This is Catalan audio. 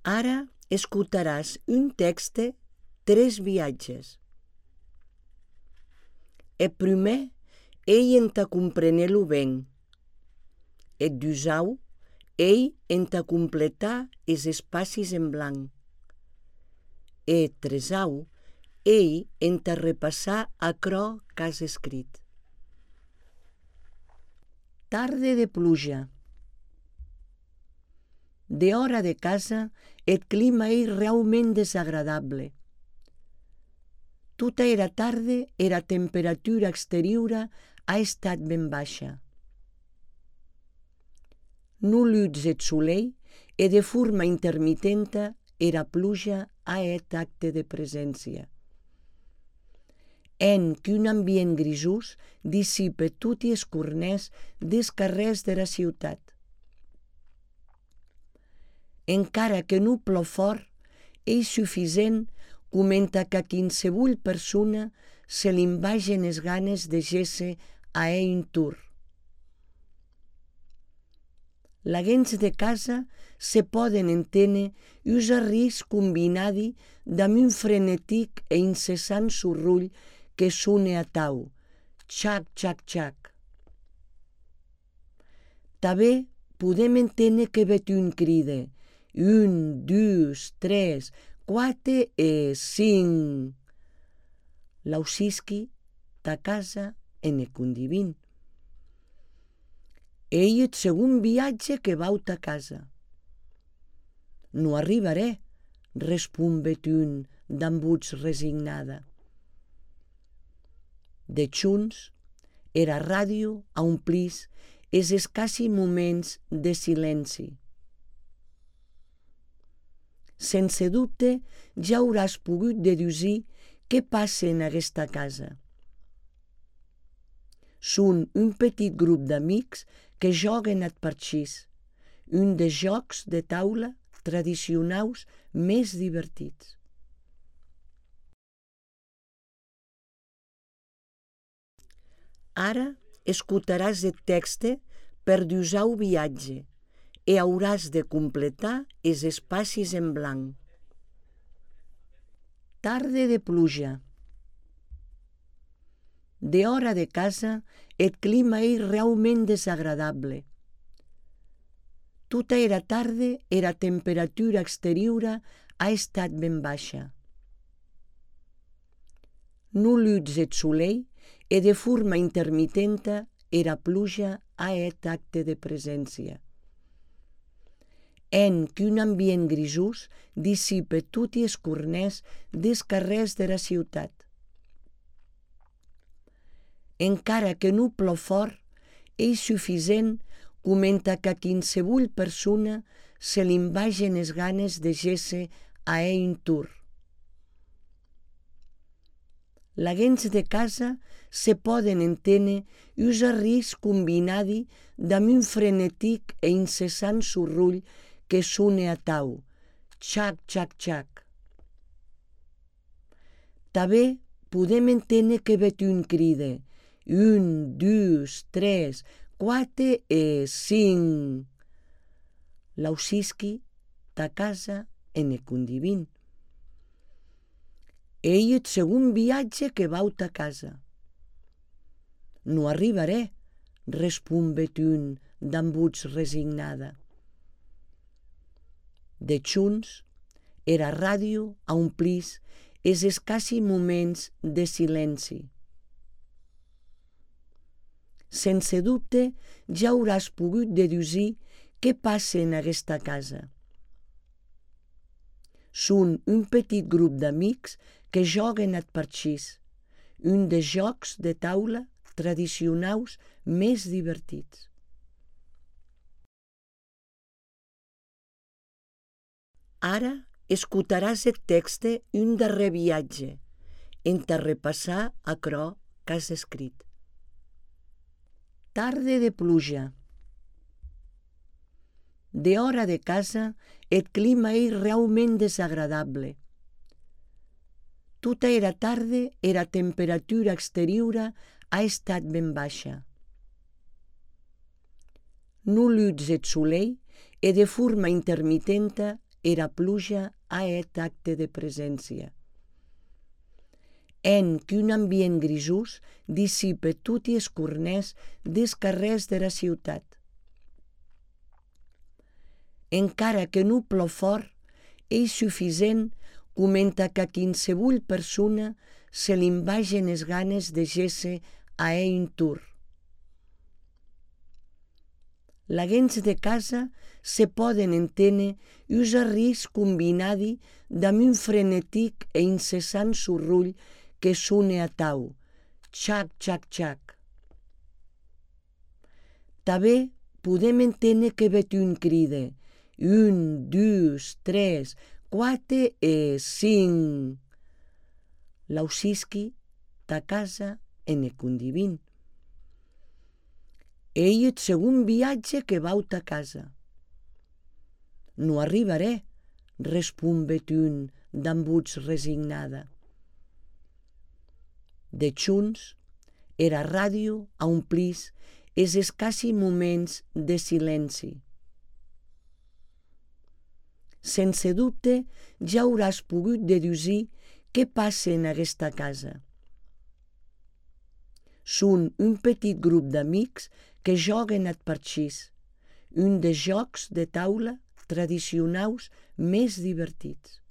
Ara escutaràs un texte, 3 viatges. E primer, ei entà comprenir-lo ben. E dusau, ei entà completar es espacis en blanc. E tresau, ei entà repassar aquerò qu'has escrit. Tarde de pluja. De hora de casa, eth clima ei realment desagradable. Tota era tarde, era temperatura exteriora ha estat ben baixa. Non lutz eth solei e de forma intermitenta era pluja ha hèt acte de presència. En qu'un ambient grisós dissipe toti es cornès des carrèrs dera ciutat. Encara que non plou fort, ei suficient comenta qu'à quinsevolh persona se l'invagen es ganes de gésser a hèr un tour. Laguens de casa se pòden enténer us arriscs combinadi damb un frenetic e incessant sorrolh que sone atau, txac, txac, txac. Tanben podem enténer que vet un cride, 1, 2, 3, 4 e 5. Lausisqui ta casa e ne condivin. Ei eth segon viatge que vau ta casa. Non arribarè, respon un damb votz resignada. Deschons, era radio aumplís es escassi moments de silenci. Sense dubte, ja auràs pogut dedusir què passe en aguesta casa. Son un petit grup d'amics que jòguen ath parchís, un des jòcs de taula tradicionaus més divertits. Ara escutaràs eth texte per dusau viatge e auràs de completar es espacis en blanc. Tarde de pluja. De hora de casa, eth clima ei realment desagradable. Tota era tarde, era temperatura exteriora ha estat ben baixa. Non lutz eth solei e de forma intermitenta era pluja ha hèt acte de presència. En qu'un ambient grisós dissipe toti es cornès des carrèrs dera ciutat. Encara que non plou fort, ei suficient comenta qu'à quinsevolh persona se l'invagen es ganes de gésser a hèr un tour. Laguens de casa se pòden enténer us arriscs combinadi damb un frenetic e incessant sorrolh que sone atau, txac, txac, txac. Tanben podem enténer que vet un cride, 1, 2, 3, 4 e 5. Lausisqui ta casa e ne condivin. Ei eth segon viatge que vau ta casa. Non arribarè, respon un damb votz resignada. Deschons, era radio aumplís es escassi moments de silenci. Sense dubte, ja auràs pogut dedusir què passe en aguesta casa. Son un petit grup d'amics que jòguen ath parchís, un des jòcs de taula tradicionaus més divertits. Ara escutaràs eth texte un darrer viatge, entà repassar aquerò qu'has escrit. Tarde de pluja. De hora de casa, eth clima ei realment desagradable. Tota era tarde, era temperatura exteriora ha estat ben baixa. Non lutz eth solei e de forma intermitenta era pluja a et acte de presència. En qu'un ambient grisús dissipe tot i escornès des carrers de la ciutat. Encara que no plou fort, és suficient comenta que a qualsevol persona se li vagen les ganes de gésser a un tour. Laguens de casa se poden entendre us arris combinadi damb un frenetic e incessant sorrull que sone a tau, txac, txac, txac. També podem entendre que vet un cride, 1, 2, 3, 4 e 5. Lausisqui ta casa en e condivin. Ei eth segon viatge que vau ta casa. No arribaré, respon Betun damb voz resignada. De chunç, era ràdio omplís es escassi moments de silenci. Sense dubte, ja hauràs pogut deduir què passa en aquesta casa. Són un petit grup d'amics que joguen at parxís, un dels jocs de taula tradicionals més divertits.